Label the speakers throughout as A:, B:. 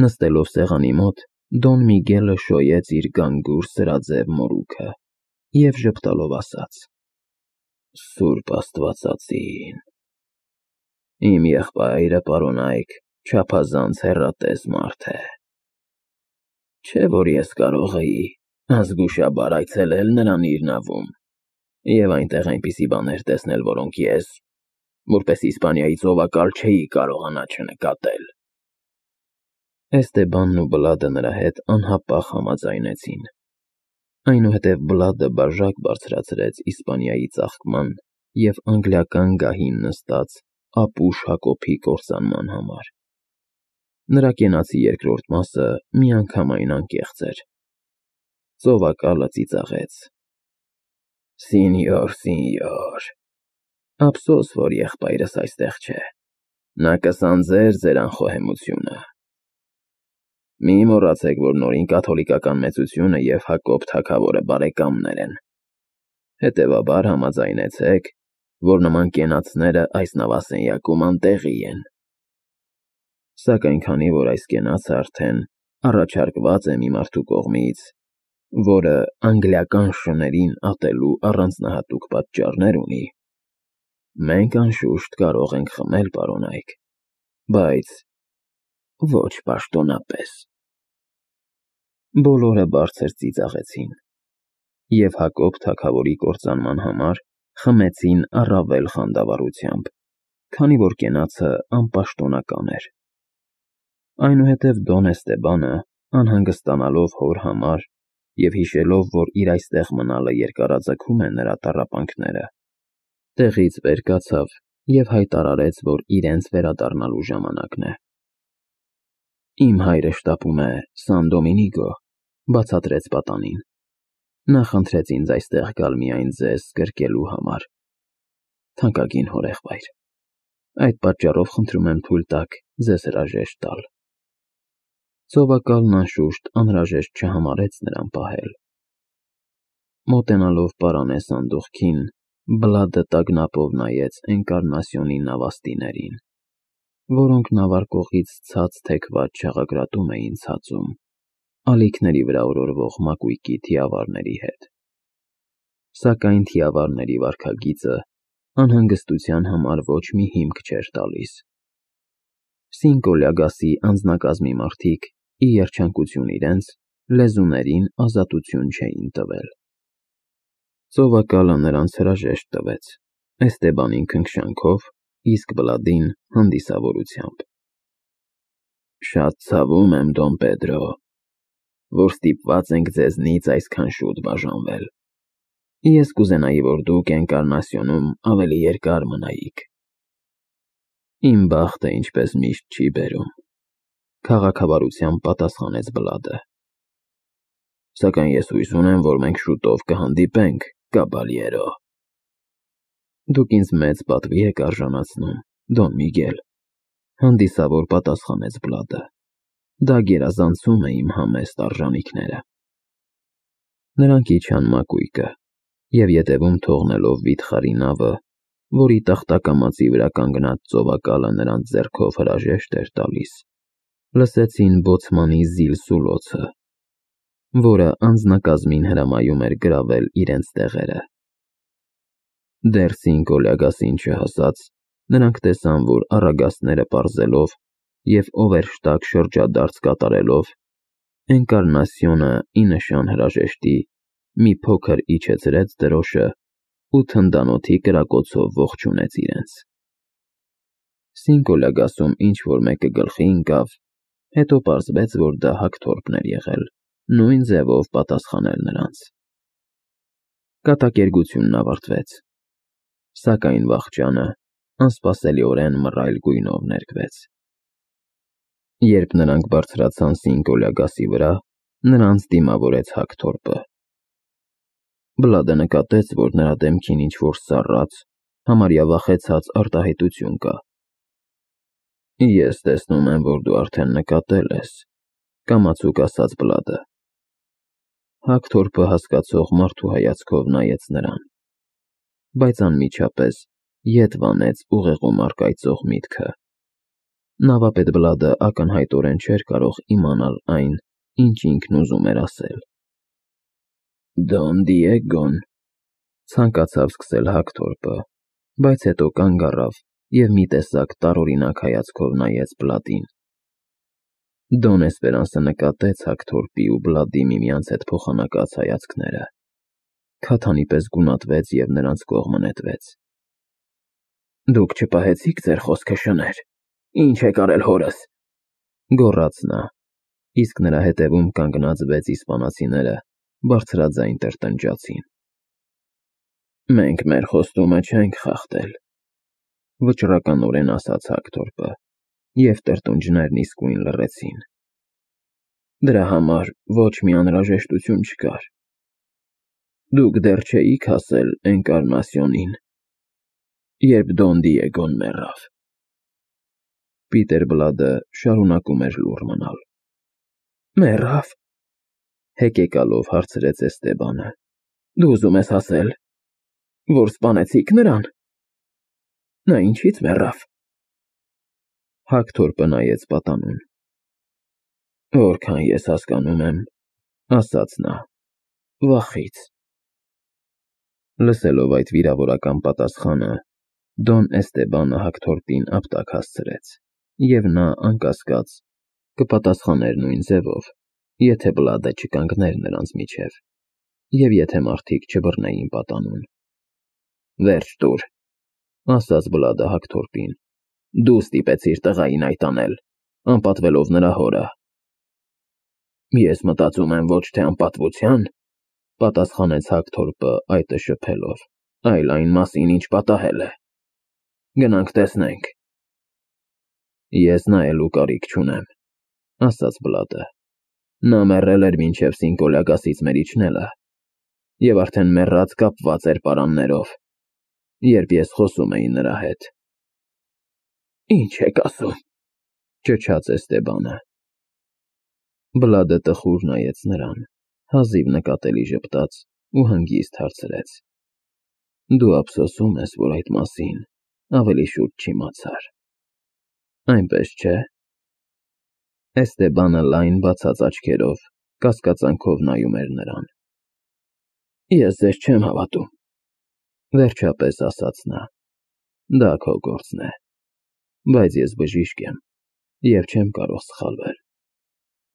A: Նստելով սեղանի մոտ, Դոն Միգելը շոյեց իր գանգուր սրաձև մորուքը և ժպտալով ասաց. «Սուրբ Աստվածածին, իմ եղբայրը, պարոնայք, չափազանց հեռատես մարդ է, չէ՞ որ ես կարող էի ազգուշաբար այցելել նրան իր նավում և այնտեղ այնպիսի բաներ տեսնել, որոնք ես, որպես Իսպանիայի ծովակալ, չէի կարողանա չնկատել»։ Էստեբանն ու Բլադը նրա հետ անհապաղ համաձայնեցին, այնուհետև Բլադը բաժակ բարձրացրեց Իսպանիայի ծաղկման և անգլիական գահին նստած ապուշ Հակոբի կործանման համար։ Նրա կենացի երկրորդ մասը միանգամայն անկեղծ էր։ Ծովակալը ծիծաղեց. «Սինյոր, սինյոր, ափսոս, որ եղբայրս այստեղ չէ, նա կսանձեր ձեր անխոհեմությունը։ Մի մոռացեք, որ նորին կաթոլիկական մեծությունը և Հակոբ թագավորը բարեկամներ են, հետևաբար համաձայնեցեք, որ նման կենացները այս նավասենյակում անտեղի են։ Սակայն քանի որ այս կենացը արդեն առաջարկված է մի մարդու կողմից, որը անգլիական շներին ատելու առանձնահատուկ պատճառներ ունի, մենք անշուշտ կարող ենք խմել, պարոնայք, բայց ոչ պաշտոնապես»։ Բոլորը բարձր ծիծաղեցին և Հակոբ թագավորի կործանման համար խմեցին առավել խանդավառությամբ, քանի որ կենացը անպաշտոնական էր։ Այնուհետև Դոն Էստեբանը, անհանգստանալով հոր համար և հիշելով, որ իր այստեղ մնալը երկարաձգում է նրա տառապանքները, տեղից վեր կացավ և հայտարարեց, որ իրենց վերադառնալու ժամանակն է։ «Իմ հայրը շտապում է Սան Դոմինիգո», բացատրեց պատանին։ «Նա խնդրեց ինձ այստեղ գալ միայն ձեզ գրկելու համար, թանկագին հորեղբայր, այդ պատճառով խնդրում եմ թույլ տաք ձեզ հրաժեշտ տալ»։ Ծովակալն անշուշտ անհրաժեշտ չհամարեց նրան պահել։ Մոտենալով պարանե սանդուղքին, Բլադը տագնապով նայեց Էնկարնասիոնի նավաստիներին, որոնք նավարկողից ցած թեքված չաղագրատում էին ցածում, ալիքների վրա օրորվող մակույկի թիավարների հետ։ Սակայն թիավարների վարքագիծը անհանգստության համար ոչ մի հիմք չէր տալիս։ Սինկո Լյագասի անձնակազմի մարդիկ, ի երջանկություն իրենց, լեզուներին ազատություն չէին տվել։ Ծովակալը նրանց հրաժեշտ տվեց, Էստեբանին քնքշանքով, իսկ Բլադին հանդիսավորությամբ։ «Շատ ցավում եմ, Դոն Պեդրո, որ ստիպված ենք ձեզնից այսքան շուտ բաժանվել։ Ես կուզենայի, որ դուք Էնկարնասիոնում ավելի երկար մնայիք»։ «Իմ բախտը, ինչպես միշտ, չի բերում», քաղաքավարությամբ պատասխանեց Բլադը։ «Սակայն ես հույս ունեմ, որ մենք շուտով կհանդիպենք, կաբալյերո»։ «Դուք ինձ մեծ պատվի եք արժանացնում, Դոն Միգել», հանդիսավոր պատասխանեց Բլադը։ «Դա գերազանցում է իմ համեստ արժանիքները»։ Նրանք իջան մակույկը և ետևում թողնելով վիթխարի նավը, որի տախտակամածի վրա կանգնած ծովակալը նրանց ձեռքով հրաժեշտ էր տալիս, լսեցին բոցմանի զիլսուլոցը, որը անձնակազմին հրամայում էր գրավել իրենց տեղերը։ Դեռ Սինկո Լյագասին չհասած, նրանք տեսան, որ առագաստները պարզելով և օվերշտակ շրջադարձ կատարելով, Էնկարնասիոնը ի նշան հրաժեշտի մի փոքր իջեցրեց դրոշը ու թնդանոթի կրակոցով ողջունեց իրենց։ Սինկո Լյագասում ինչ-որ մեկը գլխի ընկավ, հետո պարզվեց, որ դա Հակթորպն էր եղել, նույն ձևով պատասխանել նրանց։ Կատակերգությունն ավարտվեց, սակայն վախճանը անսպասելիորեն մռայլ գույնով ներկվեց։ Երբ նրանք բարձրացան Սինկո Լյագասի վրա, նրանց դիմավորեց Հակթորպը։ Բլադը նկատեց, որ նրա դեմքին ինչ-որ սառած, համարյա վախեցած արտահայտություն կա։ «Ես տեսնում եմ, որ դու արդեն նկատել ես», կամացուկ ասաց Բլադը։ Հակթորպը հասկացող մարդու հայացքով նայեց նրան, բայց անմիջապես ետ վանեց ուղեղում առկայծող միտքը։ Նավապետ Բլադը ակնհայտորեն չէր կարող իմանալ այն, ինչ ինքն ուզում էր ասել։ «Դոն Դիեգոն», ցանկացավ սկսել Հակթորպը, բայց հետո կանգ առավ և մի տեսակ տարօրինակ հայացքով նայեց Բլադին։ Դոն Էսպերանսը նկատեց Հակթորպի ու Բլադի միմյանց հետ փոխանակած հայացքները, քաթանի պես գունատվեց և նրանց կողմը նետվեց։ «Դուք չպահեցիք ձեր խոսքը, շներ, ինչ եք արել հորս», գոռաց նա, իսկ նրա հետևում կանգնած 6 իսպանացիները բարձրաձայն տրտնջացին։ «Մենք մեր խոստումը չենք խախտել», վճռականորեն ասաց Հակթորպը, և տրտունջներն իսկույն լռեցին։ «Դրա համար ոչ մի անհրաժեշտություն չկար։ Դուք դեռ չէիք հասել Էնկարնասիոնին, երբ Դոն Դիեգոն մեռավ»։ Պիտեր Բլադը շարունակում էր լուռ մնալ։ «Մեռավ», հեկեկալով հարցրեց Էստեբանը։ «Դու ուզում ես ասել, որ սպանեցիք նրան։ Նա ինչի՞ց մեռավ»։ Հակթորպը նայեց պատանուն։ «Որքան ես հասկանում եմ», ասաց նա, «վախից»։ Լսելով այդ վիրավորական պատասխանը, Դոն Էստեբանը Հակթորպին ապտակ հասցրեց, և նա, անկասկած, կպատասխաներ նույն ձևով, եթե Բլադը չկանգներ նրանց միջև, և եթե մարդիկ չբռնեին պատանուն։ «Վերջ տուր», ասաց Բլադը Հակթորպին, «դու ստիպեցիր տղային այդ անել, անպատվելով նրա հորը»։ «Ես մտածում եմ ոչ թե անպատվության», պատասխանեց Հակթորպը այտը շփելով, «այլ այն մասին, ինչ պատահել է։ Գնանք տեսնենք»։ «Ես նայելու կարիք չունեմ», ասաց Բլադը։ «Նա մեռել էր մինչև Սինկոլյագասից մեր իջնելը, և արդեն մեռած կապված էր պարաններով, երբ ես խոսում էի նրա հետ»։ «Ինչ եք ասում», ճչաց Էստեբանը։ Բլադը տխուր նայեց նրան, հազիվ նկատելի ժպտաց ու հանգիստ հարցրեց. «Դու ափսոսում ես, որ այդ մասին ավելի շուտ չիմացար, այնպես չէ՞»։ Էստեբանը լայն բացած աչքերով կասկածանքով նայում էր նրան։ «Ես ձեզ չեմ հավատում», վերջապես ասաց նա։ «Դա քո գործն է, բայց ես բժիշկ եմ և չեմ կարող սխալվել,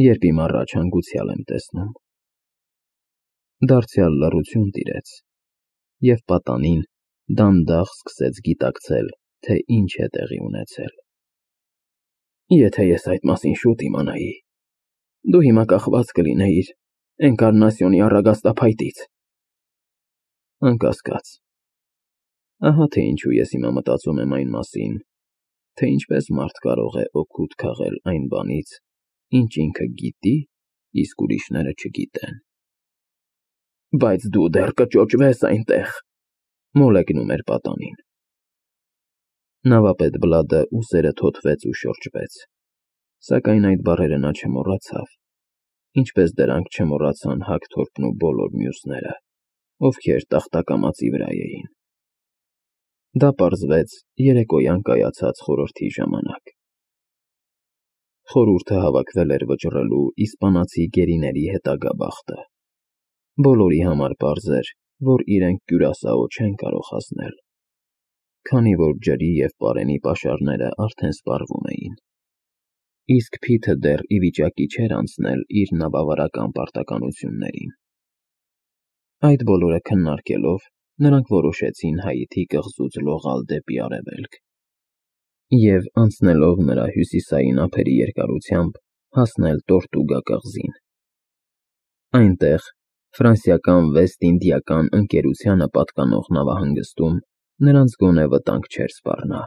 A: երբ իմ առաջ հանգուցյալ եմ տեսնում»։ Դարձյալ լռություն տիրեց, և պատանին դանդաղ սկսեց գիտակցել, թե ինչ է տեղի ունեցել։ «Եթե ես այդ մասին շուտ իմանայի, դու հիմա կախված կլինեիր Էնկարնասիոնի առագաստափայտից»։ «Անկասկած։ Ահա թե ինչու ես հիմա մտածում եմ այն մասին, թե ինչպես մարդ կարող է օգուտ քաղել այն բանից, ինչ ինքը գիտի, իսկ ուրիշները չգիտեն»։ «Բայց դու դեռ կճոճվես այնտեղ», մոլեգնում էր պատանին։ Նավապետ Բլադը ուսերը թոթվեց ու շրջվեց, սակայն այդ բառերը նա չմոռացավ, ինչպես դրանք չմոռացան Հակթորպն ու բոլոր մյուսները, ովքեր տախտակամածի վրա էին։ Դա պարզվեց երեկոյան կայացած խորհրդի ժամանակ։ Խորհուրդը հավաքվել էր վճռելու իսպանացի գերիների հետագա բախտը։ Բոլորի համար պարզ էր, որ իրենք Կյուրասաո չեն կարող հասնել, քանի որ ջրի և պարենի պաշարները արդեն սպառվում էին, իսկ Փիթը դեռ ի վիճակի չէր անցնել իր նավավարական պարտականություններին։ Այդ բոլորը քննարկելով, նրանք որոշեցին Հայիթի կղզուց լողալ դեպի արևելք և, անցնելով նրա հյուսիսային ափերի երկարությամբ, հասնել Տորտուգա կղզին։ Այնտեղ, ֆրանսիական Վեստ-Ինդիական ընկերությանը պատկանող նավահանգստում, նրանց գոնե վտանգ չէր սպառնա։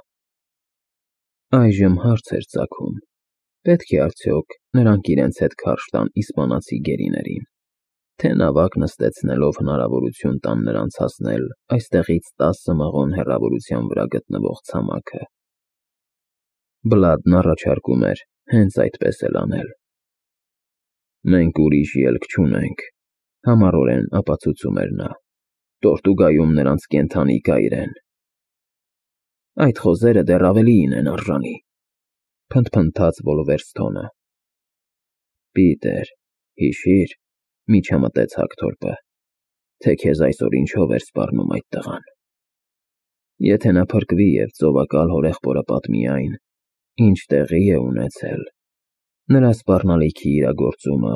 A: Այժմ հարց էր ծագում. պետք է արդյոք նրանք իրենց հետ քարշ տան իսպանացի գերիներին, թե նավակ նստեցնելով հնարավորություն տան նրանց հասնել այստեղից 10 մղոն հեռավորության վրա գտնվող ցամաքը։ Բլադն առաջարկում էր հենց այդպես էլ անել։ «Մենք ուրիշ ելք չունենք», համառորեն ապացուցում էր նա։ «Տորտուգայում նրանց կենդանի կայր են»։ «Այդ խոզերը դեռ ավելիին են արժանի», Փնթփնթաց Վոլվերստոնը։ Պիտեր, հիշիր, միջամտեց Հակթորպը, թե քեզ այսօր ինչով էր սպառնում այդ տղան։ Եթե նա փրկվի և ծովակալ հորեղբորը պատմի այն, ինչ տեղի է ունեցել, նրա սպառնալիքի իրագործումը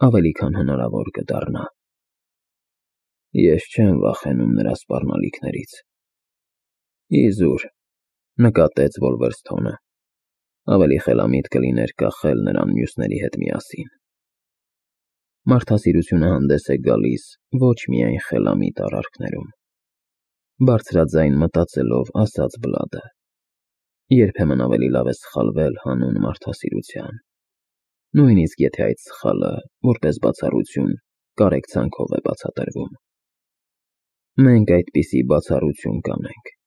A: ավելի քան հնարավոր կդառնա։ Ես չեմ վախենում նրա սպառնալիքներից։ Իզուր, նկատեց Վոլվերստոնը, ավելի խելամիտ կլիներ կախել նրան մյուսների հետ միասին։ Մարդասիրությունը հանդես է գալիս ոչ միայն խելամիտ արարքներում, բարձրաձայն մտածելով ասաց Բլադը, երբեմն ավելի լավ է սխալվել հանուն մարդասիրության, նույնիսկ եթե այդ սխալը, որպես բացառություն, կարեկցանքով է բացատրվում։ Մենք այդպիսի բացառություն կանենք։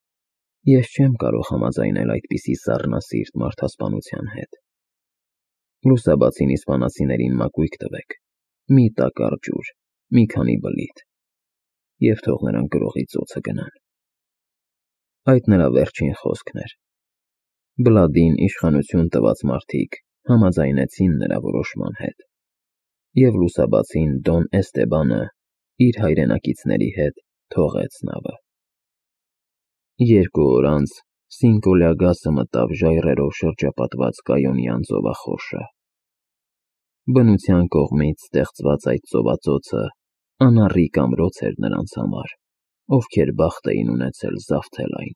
A: Ես չեմ կարող համաձայնել այդպիսի սառնասիրտ մարդասպանության հետ։ Լուսաբացին իսպանացիներին մակույկ տվեք, մի տակառ ջուր, մի քանի բլիթ, և թող նրանք գրողի ծոցը գնան։ Այդ նրա վերջին խոսքն էր։ Բլադին իշխանություն տված մարդիկ համաձայնեցին նրա որոշման հետ, և լուսաբացին Դոն Էստեբանը իր հայրենակիցների հետ թողեց նավը։ 2 օր անց Սինկոլյագասը մտավ ժայռերով շրջապատված Կայոնյան ծովախորշը։ Բնության կողմից ստեղծված այդ ծովածոցը անառիկ ամրոց էր նրանց համար, ովքեր բախտ էին ունեցել զավթել այն։